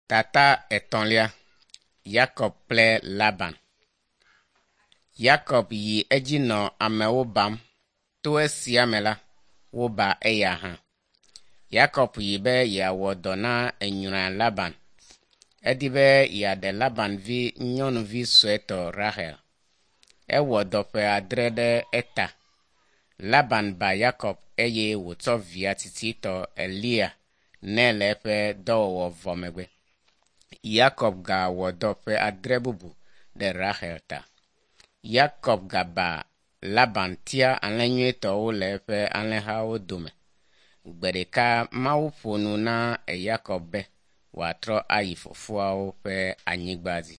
Tata etɔ̃lia. Yakob kple Laban. Yakob yi edzi nɔ amewo bam. To esia me la, woba eya hã. Yakob yi be yeawɔ dɔ na enyrɔa Laban. Edi be yeaɖe Laban vi nyɔnuvi suetɔ Rahel. Ewɔ dɔ ƒe adre ɖe eta. Laban ba Yakob eye wòtsɔ via tsitsitɔ Lea nɛ le eƒe dɔwɔwɔ vɔ megbe. Yakob gawɔ dɔ ƒe adre bubu ɖe Rahel ta. Yakob gaba Laban tia alẽ nyuitɔwo le eƒe alẽhawo dome. Gbe ɖeka Mawu ƒo nu na Yakob be wòatrɔ ayi fofoawo ƒe anyigba dzi.